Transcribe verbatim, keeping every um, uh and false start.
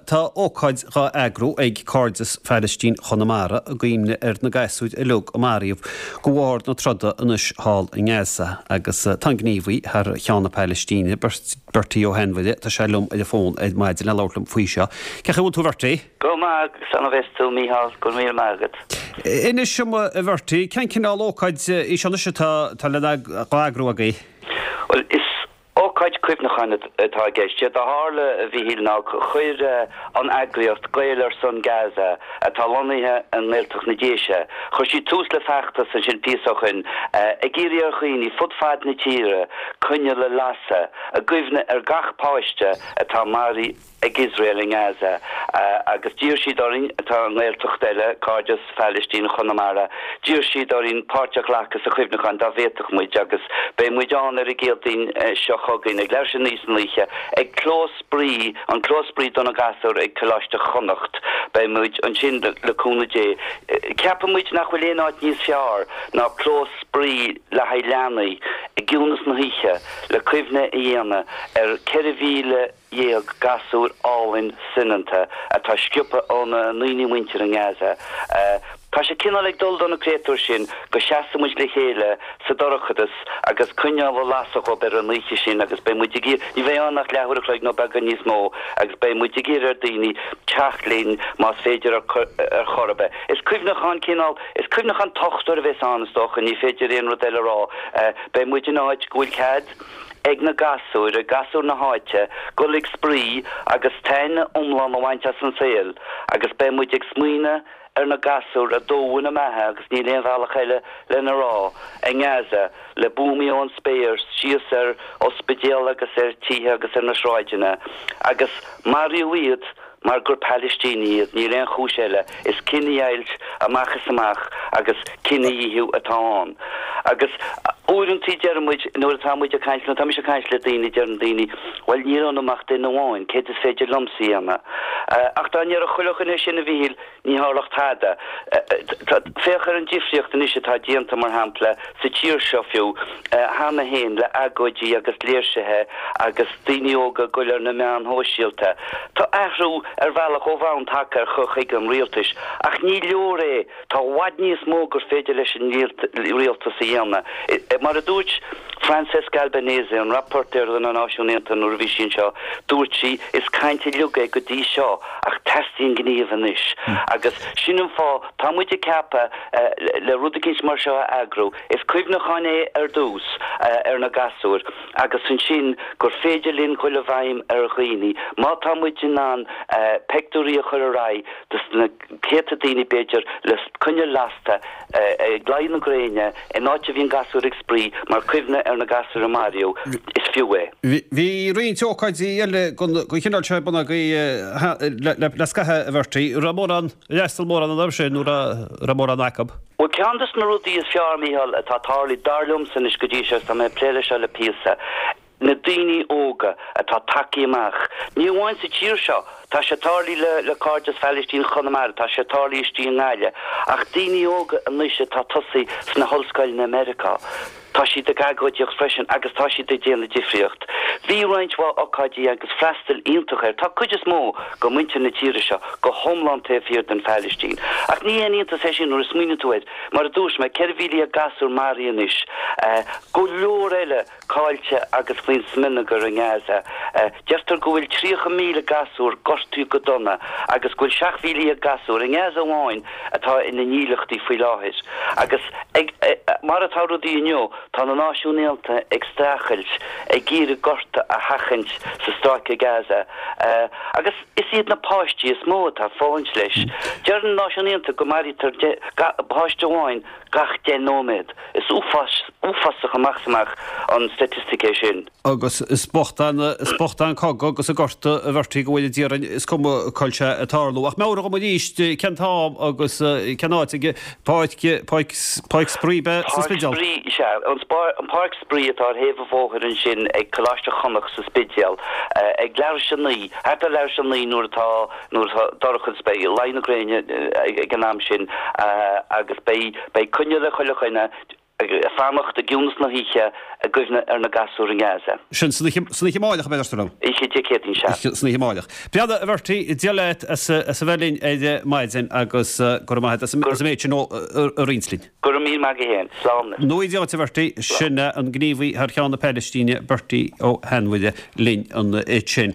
Tá ócáid dhá eagrú ag Cairdeas Phailistín Chonamara i gcuimhne ar na gasúir uilig a maraíodh de bharr na troda anois thall i nGaza agus tá an gníomhaí thar cheann na Palaistíne, Bertie Ó hAinmhire, tá sé liom ar an bhfón ar maidin le labhairt liom faoi seo. Cén chaoi a bhfuil tú, a Bhertie? Go maith, san a bheas tú, Mícheál, go raibh míle maith agat. Inis dom, a Bhertie, cén cineál ócáid í seo anois atá atá le dhá eagrú agaibh? Bhuel, is ócáid cuimhneacháin atá i gceist. Séard a tharla, a Mhíchíl, ná chuir an eagraíocht Gaeil ar son Gaza, atá lonnaithe i nGaeltacht na Déise, chuir siad tús le feachtas ansin píosa ó shin ag iarraidh ar dhaoine fud fad na tíre coinneal a lasadh i gcuimhne ar gach páiste atá maraithe ag Iosrael i nGaza agus d'iarr siad orainn, atá i nGaeltacht eile, Cairdeas Phailistín Chonamara, d'iarr siad orainn páirt a ghlacadh sa chuimhneachán dá bhféadfadh muid agus beidh muid ann ar an gCéadaoin seo chugainn ag leathuair tar éis a naoi san oíche ag Clós Spraoi, an Clós Spraoi do na Gasúir ag Coláiste Chonnacht. Beidh muid ansin le cúnamh Dé. Ceapann muid nach bhfuil aon áit níos fearr ná clós spraoi le haghaidh leanaí i gciúnas na hoíche le cuimhne a dhéanamh ar ceithre mhíle dhéag gasúr álainn soineanta atá sciobtha óna ndaoine muinteartha i nGaza. Tá sé cineál ag dul do na créatúir sin go seasfaidh muid le chéile sa dorchadas agus coinneal a lasadh dhóibh ar an oíche sin agus beidh muid ag iarraidh, ní bheidh ann ach leathuair a chloig nó beagán níos mó agus beidh muid ag iarraidh ar daoine teacht linn más féidir ar chor ar bith. Is cuimhneachán cineál, is cuimhneachán tochtmhar a bheas ann is dócha, ní féidir aon rud eile a rá. Beidh muid in áit go bhfuil cead ag na gasúir, ag gasúir na háite, dul ag spraoi agus taitneamh iomlán a bhaint as an saol agus beidh muid ag smaoineamh ar na gasúir a dódh ina mbeatha agus níl aon bhealach eile lena rá, i nGaza, le buamaí ón spéir síos ar ospidéal agus ar tithe agus ar na sráideanna agus maraíodh iad mar gur Palaistínigh iad, níl aon chúis eile, is cinedheighilt amach is amach agus cinedhíothú atá ann. Agus uaireantaí deireann muid, nuair atá muid ag caint, nuair atá mise ag caint le daoine, deireann daoine, bhuel níl ionam ach duine amháin, céard is féidir liomsa a dhéanamh? Ach dá ndéarfadh chuile dhuine sin, a Mhíchíl, ní tharlódh tada. Féach ar an difríocht anois atá déanta, mar shampla, sa tír seo fiú, cheana féin, le agóidí agus léirsithe agus daoine óga ag goil ar na meáin shóisialta. Tá athrú ar bhealach ó bhonn tagtha ar chur chuige an rialtais, ach ní leor é, tá i bhfad níos mó gur féidir leis an rialtas a dhéanamh. Mar a dúirt Francesca Albanese, an Rapporteur do na Náisiúin Aontaithe nuair a bhí sí anseo, dúirt sí, is caint uilig é go dtí seo ach teastaíonn gníomh anois. Agus sin an fáth, tá muid ag ceapadh le rud eicínt mar seo a eagrú, is cuimhneachán é ar dtús ar na gasúir, agus ansin gur féidir linn dhul i bhfeidhm ar dhaoine, má tá muid in ann peictiúirí a chur ar aghaidh dos na céadta daoine b'fhéidir le coinneal lasta ag luí na gréine in áit a bhíonn gasúir ag spraoi mar chuimhne ar na gasúir a maraíodh, is fiú é. Bhí roinnt ócáidí eile den chineál seo ar bun agaibh le scaitheamh, a Bhertie. Raibh mórán, ar fhreastail mórán orthu sin nó raibh mórán acu? Bhuel, ceann de na rudaí is fearr, Mícheál, atá tarlaithe, dar liomsa anois go dtí seo, agus tá mé ag plé leis seo le píosa, na daoine óga atá tagtha amach, ní amháin sa tír seo, tá sé tarlaithe le le Cairdeas Phailistín Chonamara, tá sé tarlaithe istigh i nGaillimh, ach daoine óga anois atá tosaithe sna hollscoileanna i Meiriceá. Tá siad ag agóidíocht freisin agus tá siad ag déanamh difríocht. Bhí roinnt mhaith ocáidí agus freastal iontach air. Tá cuid is mó de mhuintir na tíre seo go hiomlán taobh thiar den Phailistín. Ach ní haon iontas é sin nuair a smaoiníonn tú air. Mar a dúirt mé, ceithre mhíle dhéag gasúr maraithe anois, go leor eile caillte agus faoin smionagar i nGaza. Deirtear go bhfuil tríocha míle gasúr gortaithe go dona agus go bhfuil seacht mhíle dhéag gasúr i nGaza amháin atá ina ndílleachtaí faoi láthair. Agus ag, mar atá rudaí inniu, tá na Náisiúin Aontaithe ag streachailt, ag iarraidh gorta a sheachaint sa Stráice Gaza. Agus is iad na páistí is mó atá ag fulaingt leis. Deir na Náisiúin Aontaithe go maraítear páiste amháin gach deich nóiméad. Is uafás, uafásach amach is amach an staitistic é sin. Agus is bocht an, is bocht an cogadh agus an gorta, a Bhertie, go bhfuil i dtír againn, is cuma cá bhfuil sé ag tarlú. Ach meabhraigh dom arís cén t-am agus cén áit ag Páirc, Páirc, Páirc Spraoi ab ea sa Páirc Spidéal? Spraoi, sea. An an Páirc Spraoi atá ar thaobh an bhóthair ansin ag Coláiste Chonnacht sa Spidéal, ag leathuair tar éis a naoi, thart ar leathuair tar éis a naoi nuair atá, nuair atá dorcha is beidh luí na gréine ag an am sin agus beidh, beidh coinneal ag chuile dhuine. Fanacht i gciúnas na hoíche i gcuimhne ar na gasúir i nGaza. Sin san oíche amárach, a bheidh ar Oíche Dé Céadaoin, sea. San oíche amárach. Breá, a Bhertie, Dia leat as a bheith linn ar maidin agus go raibh maith agat as an méid sin a roinnt linn. Go raibh míle maith agat féin. Slán. Nó idiot, a Bhertie, sin an gníomhaí thar cheann na Palaistíne, Bertie Ó hAinmhire linn ansin.